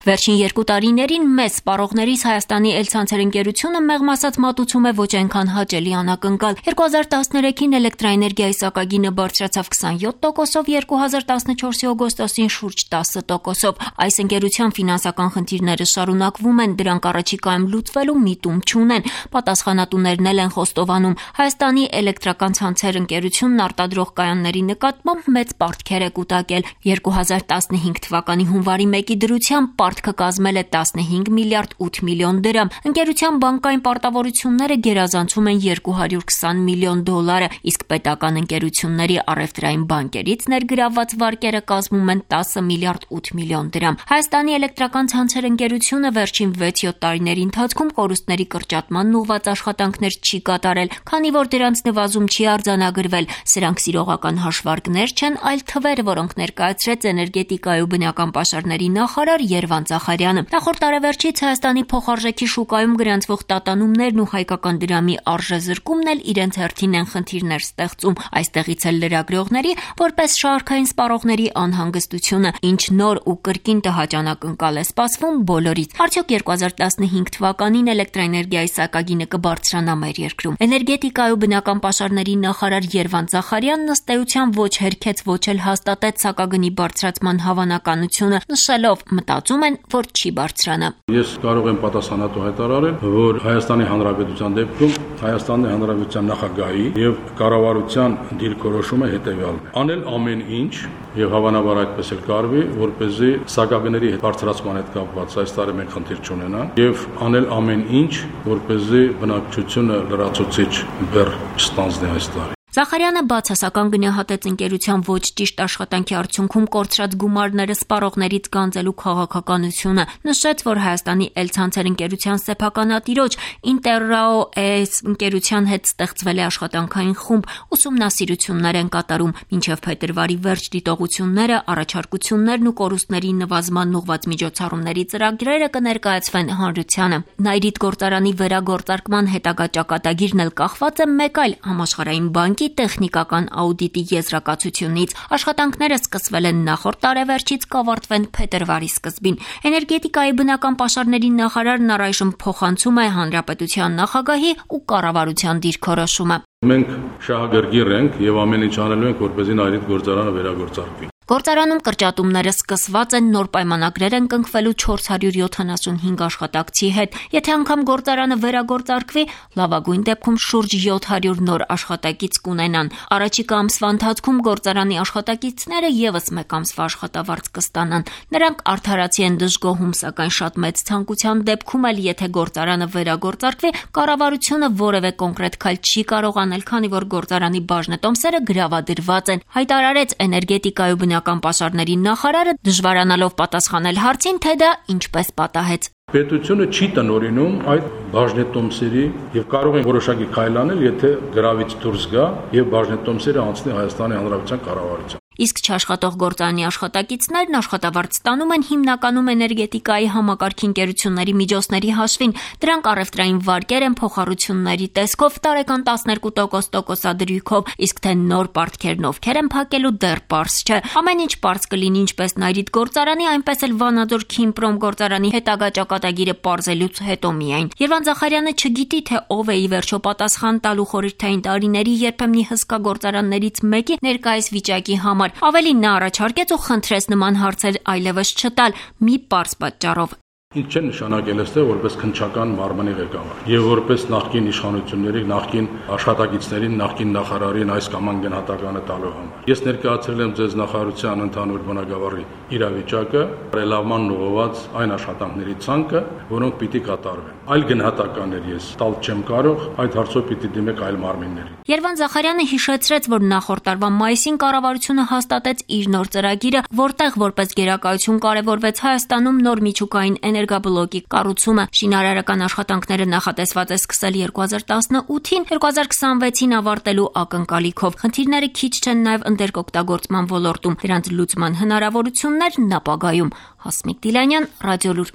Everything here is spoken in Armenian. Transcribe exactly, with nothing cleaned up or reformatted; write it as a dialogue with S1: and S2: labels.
S1: Վերջին երկու տարիներին մեծ սպառողներից Հայաստանի Էլ-Ցանցեր ընկերությունը մեղմ ասած մատուցում է ոչ այնքան հաճելի անակնկալ։ երկու հազար տասներեքին էլեկտրաէներգիայի սակագինը բարձրացավ քսանյոթ տոկոսով, երկու հազար տասնչորսի օգոստոսին շուրջ տասը տոկոսով։ Այս ընկերության ֆինանսական խնդիրները շարունակվում են, դրանք առաջիկայում լուծվելու միտում չունեն։ Պատասխանատուներն էլ են խոստովանում։ Հայաստանի էլեկտրական ցանցեր ընկերությունն արտադրող կայանների նկատմամբ մեծ պարտքեր է կուտակել։ երկու հազար տասնհինգ թվականի հունվարի մեկի դրությամբ պարտքը կազմել է տասնհինգ միլիարդ ութ միլիոն դրամ։ Ընկերության բանկային պարտավորությունները գերազանցում են երկու հարյուր քսան միլիոն դոլարը, իսկ պետական ընկերությունների առևտրային բանկերից ներգրավված վարկերը կազմում են տասը միլիարդ ութ միլիոն դրամ։ Հայաստանի էլեկտրական ցանցեր ընկերությունը վերջին վեց-յոթ տարիների ընթացքում կորուստների կրճատման ուղղված աշխատանքներ չի կատարել, քանի որ դրանց նվազում չի արձանագրվել։ Սրանք սիրողական հաշվարկներ չեն, այլ թվեր, որոնք ներկայացրեց էներգետիկայի ու բնական պաշարների նախարար Երվանդ Զախարյանը։ Նախորդ տարեվերջից Հայաստանի փոխարժեքի շուկայում գրանցվող տատանումներն ու հայկական դրամի արժեզրկումն էլ իրենց հերթին են խնդիրներ ստեղծում։ Այստեղից էլ լրագրողների, որպես շարքային սպառողների անհանգստությունը, ինչ նոր ու կրկին տհաճանակնկալ է սպասվում բոլորից։ Արդյոք երկու հազար տասնհինգ թվականին էլեկտրաէներգիայի սակագինը կբարձրանա մեր երկրում։ Էներգետիկայի ու բնական պաշարների նախարար Երվանդ Զախարյանն ըստ էության ոչ հերքեց, ոչ էլ հաստատեց սակագնի բարձրացման հավանականությունը, նշելով՝ մտածում են, որ չի բարձրանա։
S2: Ես կարող եմ պատասխանատու հայտարարել, որ Հայաստանի Հանրապետության դեպքում Հայաստանի Հանրապետության նախագահի եւ կառավարության դիրքորոշումը հետեւյալն է. անել ամեն ինչ եւ հավանաբար այդպես էլ կարվի, որպեսզի սակագների բարձրացման հետ կապված այս տարի մենք խնդիր չունենանք եւ անել ամեն ինչ, որպեսզի բնակչությունը լրացուցիչ բեռ չստանձնի այս տարի։
S1: Զախարյանը բացասական գնահատեց ընկերության ոչ ճիշտ աշխատանքի արդյունքում կորցրած գումարները սպառողներից գանձելու քաղաքականությունը, նշեց, որ Հայաստանի Էլ-Ցանցեր ընկերության սեփականատիրոջ Ինտերրաո-էս ընկերության հետ ստեղծվել է աշխատանքային խումբ, ուսումնասիրություններ են կատարում, մինչև փետրվարի վերջ դիտողությունները, առաջարկություններն ու կորուստների նվազման ուղղված միջոցառումների ծրագրերը կներկայացվեն հանրությանը։ Նայրիտ գործարանի վերագործարկման հետագա ճակատագիրն էլ կախված է մեկ այլ համաշխարհային բանկի տեխնիկական աուդիտի եզրակացությունից։ Աշխատանքները սկսվել են նախորդ տարեվերջից, կավարտվեն փետրվարի սկզբին։ Էներգետիկայի բնական պաշարների նախարարն առայժմ փոխանցում է հանրապետության նախագահի ու կառավարության դիրքորոշումը։
S2: Մենք շահագրգիռ ենք եւ ամեն ինչ անելու ենք, որպեսզի Նայրիտ գործարանը վերագործարկվի։
S1: Գործարանում կրճատումները սկսված են, նոր պայմանագրեր են կնքվելու չորս հարյուր յոթանասունհինգ աշխատակցի հետ։ Եթե անգամ գործարանը վերագործարկվի, լավագույն դեպքում շուրջ յոթ հարյուր նոր աշխատակից կունենան։ Առաջիկա ամսվա ընթացքում գործարանի աշխատակիցները եւս մեկ ամսվա աշխատավարձ կստանան։ Նրանք արդարացի են դժգոհում, սակայն շատ մեծ ցանկության դեպքում էլ, եթե գործարանը վերագործարկվի, կառավարությունը որևէ կոնկրետ քայլ չի կարող անել, քանի որ գործարանի բաժնետոմսերը գրավադրված են, հայտարարեց էներգետիկայի ու բնական պաշարների նախարարը, դժվարանալով պատասխանել հարցին, թե դա ինչպես պատահեց։
S2: Պետությունը չի տնօրինում այդ բաժնետոմսերի եւ կարող են որոշակի քայլ անել, եթե գրավից դուրս գա եւ բաժնետոմսերը անցնի Հայաստանի Հանրապետության կառավարության։
S1: Իսկ չաշխատող գործարանի աշխատակիցներն աշխատավարձ ստանում են հիմնականում էներգետիկայի համակարգի ընկերությունների միջոցների հաշվին։ Դրանք առևտրային վարկեր են փոխառությունների տեսքով, տարեկան տասներկու տոկոս տոկոսադրույքով, իսկ թե նոր պարտքերն ովքեր են փակելու դեռ պարզ չէ։ Ամեն ինչ պարզ կլինի ինչպես Նայրիտ գործարանի, այնպես էլ Վանաձոր Քիմպրոմ գործարանի հետագա ճակատագիրը պարզելուց հետո միայն։ Երվանդ Զախարյանը չգիտի, թե ով է ի վերջո պատասխան տալու խորհրդային տարիների երբեմնի հսկա գործարաններից մեկի ներկայիս վիճակի համար։ Ավելին նա առաջարկեց ու խնդրեց նման հարցեր այլևս չտալ մի պարզ պատճառով։
S2: Ինչ չեն նշանակել էստեղ որպես քննչական մարմնի ղեկավար եւ որպես նախկին իշխանությունների, նախկին աշխատակիցներին, նախկին նախարարին այս կամ այն գնահատականը տալու համար։ Ես ներկայացրել եմ ձեզ նախարարության ընդհանուր բնագավառի իրավիճակը, ռելավման ուղղված այն աշխատանքների ցանկը, որոնք պիտի կատարվեն։ Այլ գնահատականներ ես տալ չեմ կարող, այդ հարցով պիտի դիմեք այլ մարմիններին։
S1: Երվանդ Զախարյանը հիշեցրեց, որ նախորդ տարվա մայիսին կառավարությունը հաստատեց իր նոր ծրագիրը, որտեղ որպես գերակայություն կարևորվեց Հայաստանում նոր միջուկային էներգաբլոկի կառուցումը։ Շինարարական աշխատանքները նախատեսված է սկսել երկու հազար տասնութին, երկու հազար քսանվեցին ավարտելու ակնկալիքով։ Խնդիրները քիչ չեն նաև ընդերկօգտագործման ոլորտում, դրանց լուծման հնարավորություններն ապագայում։ Հասմիկ Դիլանյան, Ռադիոլուր։